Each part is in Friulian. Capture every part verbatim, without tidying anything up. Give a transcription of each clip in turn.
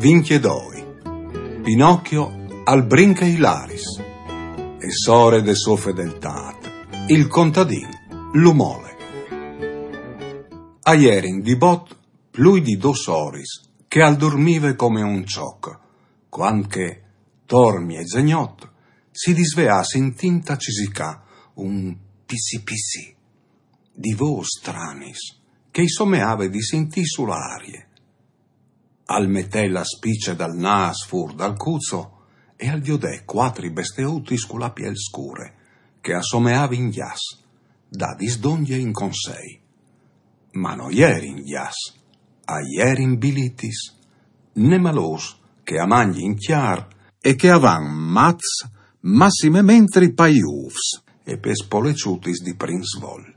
Vincjedoi. Pinocchio al brinche i laris. E sore de sô fedeltât, il contadin lu mole. A jerin di bot plui di dôs oris che al durmive come un çoc, cuant che, tor miezegnot, si disveà sintint a cisicâ un pizzi pizzi di vôs stranis che i someave di sintî su la arie. Al metè la spice dal nâs fûr dal cuzo e al viodè cuatri besteutis cu la piel scure, che a someavin gjats, dadis dongje in consei. Ma no jerin gjats, a jerin bilitis, nemalôs che a mangjin cjar e che a van mats massimementri pai ûfs e pes poleçutis di prin svol.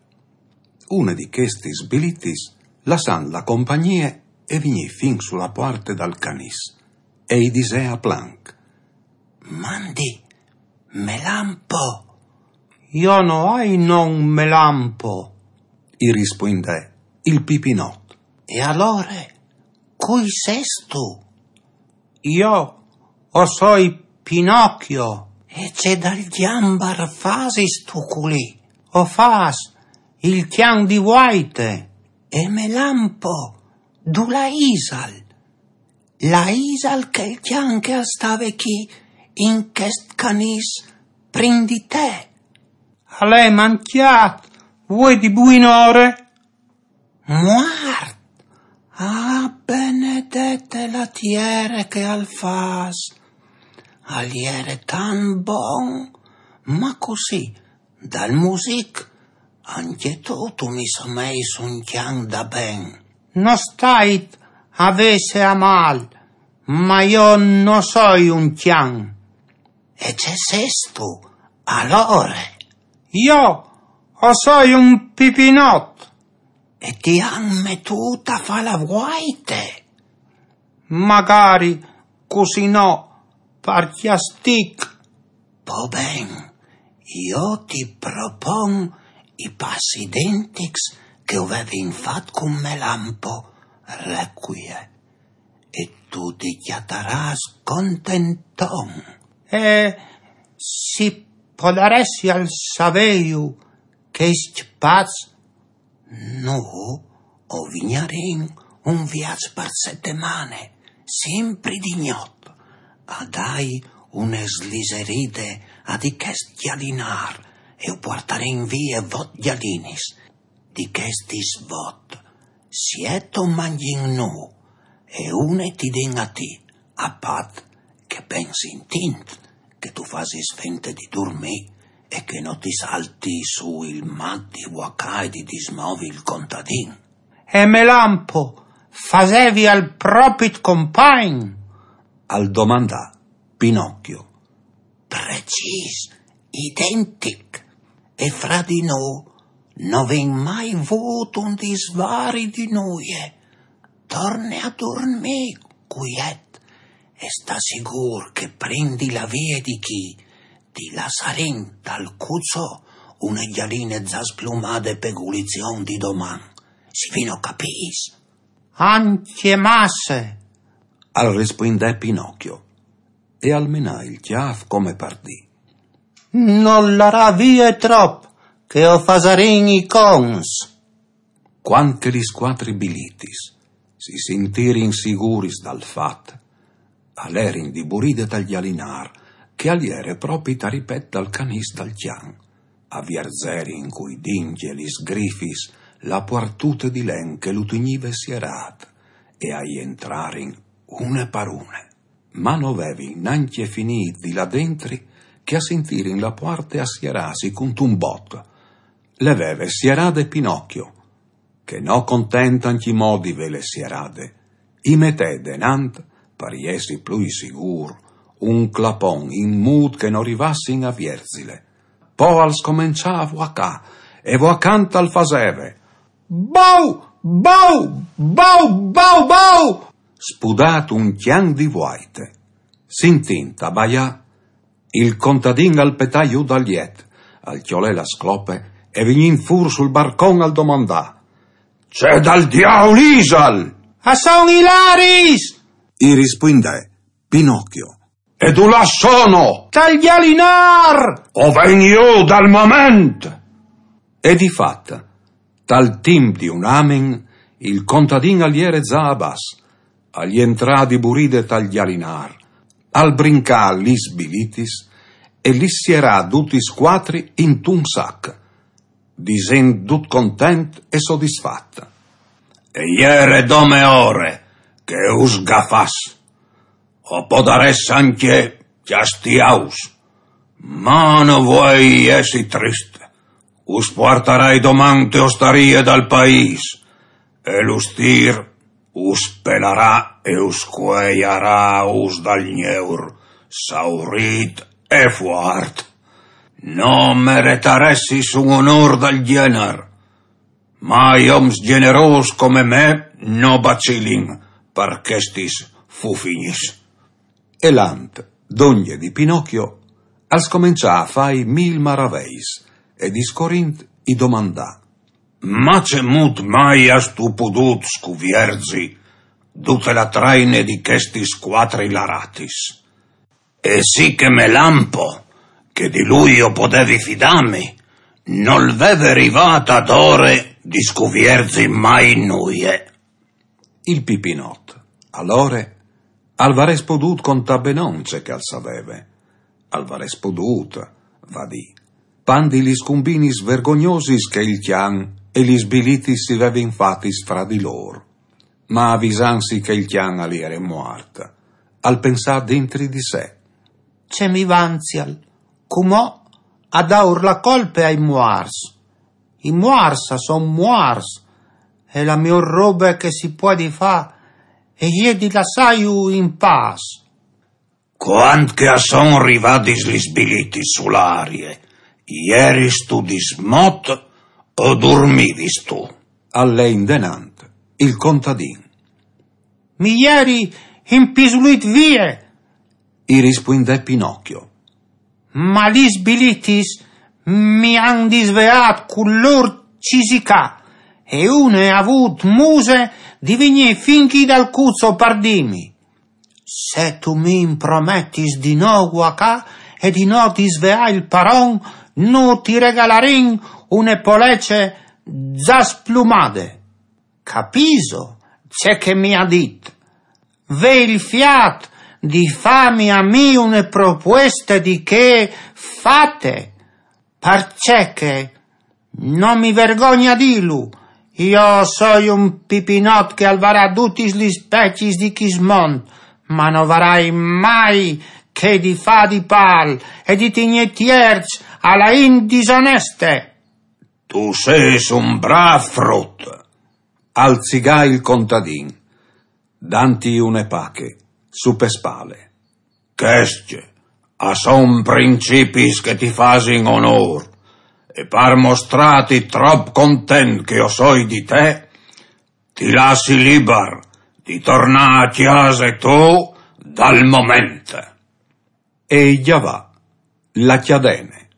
Une di chestis bilitis, lassant la compagnie, e vignì fin su la puarte dal canîs e i disè a planc: «Mandi, Melampo!» «Jo no ai non Melampo», i rispuindè il pipinot. «E alore, cui sêstu?» «Jo o soi Pinocchio.» «E ce dal gjambar fasistu culì?» «O fâs il cjan di vuaite.» «E Melampo, dulà isal?» «Là isal chel cjan che al stave chi in chest canîs prin di te?» «Al è mancjât vuê di buinore.» «Muart? Ah, benedete la tiere che al fâs! Al jere tant bon, ma cussì, dal music, ancje tu tu mi someis un cjan da ben.» «No stait a vêsi a mâl, ma jo no soi un cjan.» «E ce sêstu alore?» «Jo o soi un pipinot.» «E ti àn metût a fâ la vuaite?» «Magari, cussì no, par cjastic.» «Po ben, jo ti propon i pas identics che o vevin fat cun Melampo, Requie, e tu ti cjatarâs contenton.» «E si podaressial savêju chescj pas?» «Nô o vignarìn un viaç par setemane, simpri di gnot, a dâi une sliseride a di chest gjalinâr e o puartarìn vie vot gjalinis. Di chestis vot, siet o mangjìn nô e une ti din a ti, a pat che ben sintint che tu fasis fente di durmî e che no ti salti sù il mat di vuacâ e di dismovi il contadin.» «E Melampo, fasevial propit compagn?» al domandà Pinocchio. «Precîs identic, e fra di nô no vin mai vût un disvari di nuie. Torne a durmî, cuiet, e sta sigûr che prin di lâ vie di chi ti lassarìn tal cuzo une gjaline za splumade pe gulizion di doman. Si vino capîts?» «Ancje masse», al rispuindè Pinocchio, e al menà il cjâf come par dî: «No larâ vie trop, che o fasarìn i cons.» Cuant che lis cuatri bilitis si sintirin siguris dal fat, a lerin di buride tal gjalinâr, che al jere propit a ripet dal canîs dal cjan, a vierzerin cui dincj e lis grifis la puartute di len che lu tignive sierât, e a jentrarin une par une. Ma no vevin nancje finît di lâ dentri che a sintirin la puarte a sierâsi cuntun bot. Le veve sierade Pinocchio, che no content ancjemò di vêle sierade, i metè denant, par jessi plui sigûr, un clapon in mût che no rivassin a vierzile. Po al scomençà a vuacâ, e vuacant al faseve: «Bau, bau, bau, bau, bau!» spudât un cjan di vuaite. Sintint a baiâ, il contadin al petà jù dal jet, al cjolè la sclope e, vignint fûr sul barcon, al domandà: «Ce dal diaul isal?» «A son i laris!» I rispuindè Pinocchio: «E dulà sono?» «Tal Gjalinâr!» «O ven jù dal moment!» E di fat, tal timp di un amen, il contadin al jere za a bas, al jentrà di buride tal Gjalinâr, al brincà lis bilitis e lis sierà dutis cuatri intun sac, disint dut content e sodisfat: «E jere dome ore che us gafàs. O podarès ancje cjastiâus, ma no vuei jessi trist. Us puartarai doman te ostarie dal paîs, e l'ustîr us pelarà e us cuejarà us dal gneur, saurît e fuart. No meretaressis un onôr dal gjenar, ma i oms gjenerôs come me no bacilin par chestis fufignis.» E lant, dongje di Pinocchio, al scomençà a fâi mil maraveis e discorint i domandà: «Ma cemût mai âstu podût scuvierzi dute la traine di chestis cuatri laratis?» «E sì che Melampo, che di lui o podevi fidâmi, nol veve rivât adore di scuvierzi mai nuie.» Il Pipinot, alore, al varès podût contâ benon ce che al saveve. Al varès podût, va dì, pandi lis cumbinis vergognosis che il cjan e lis bilitis si vevin fatis fra di lôr. Ma avisantsi che il cjan al jere muart, al pensà dentri di se: «Ce mi vanzial, cumò, a dâur la colpe ai muarts. I muarts a son muarts, e la miôr robe che si puedi fâ e je di lassâju in pâs.» «Cuant che a son rivadis lis bilitis su la arie, jeristu dismot o durmivistu?» Al lè indenant il contadin. «Mi jeri impisulît vie», i rispuindè Pinocchio. «Ma lis bilitis mi àn disveât cul lôr cisicâ, e une à vût muse di vignî fin chi dal cuzo par dîmi: Se tu mi imprometis di no guacâ e di no disveâ il paron, no ti regalarìn une polece za splumade. Capìso ce che mi à dit? Ve il fiât di fâmi a mi une propueste di chê fate, parcè che, no mi vergogni a dîlu, jo o soi un Pipinot che al varà dutis lis pecis di chist mont, ma no varai mai che di fâ di pâl e di tignî tierç a la int disoneste.» «Tu sês un brâf frut», al zigà il contadin, danti une pache su pe spale. «Chescj a son principis che ti fasin onôr, e par mostrâti trop content che o soi di te, ti lassi libar di tornâ a cjase tu dal moment.» E i gjavà la cjadene.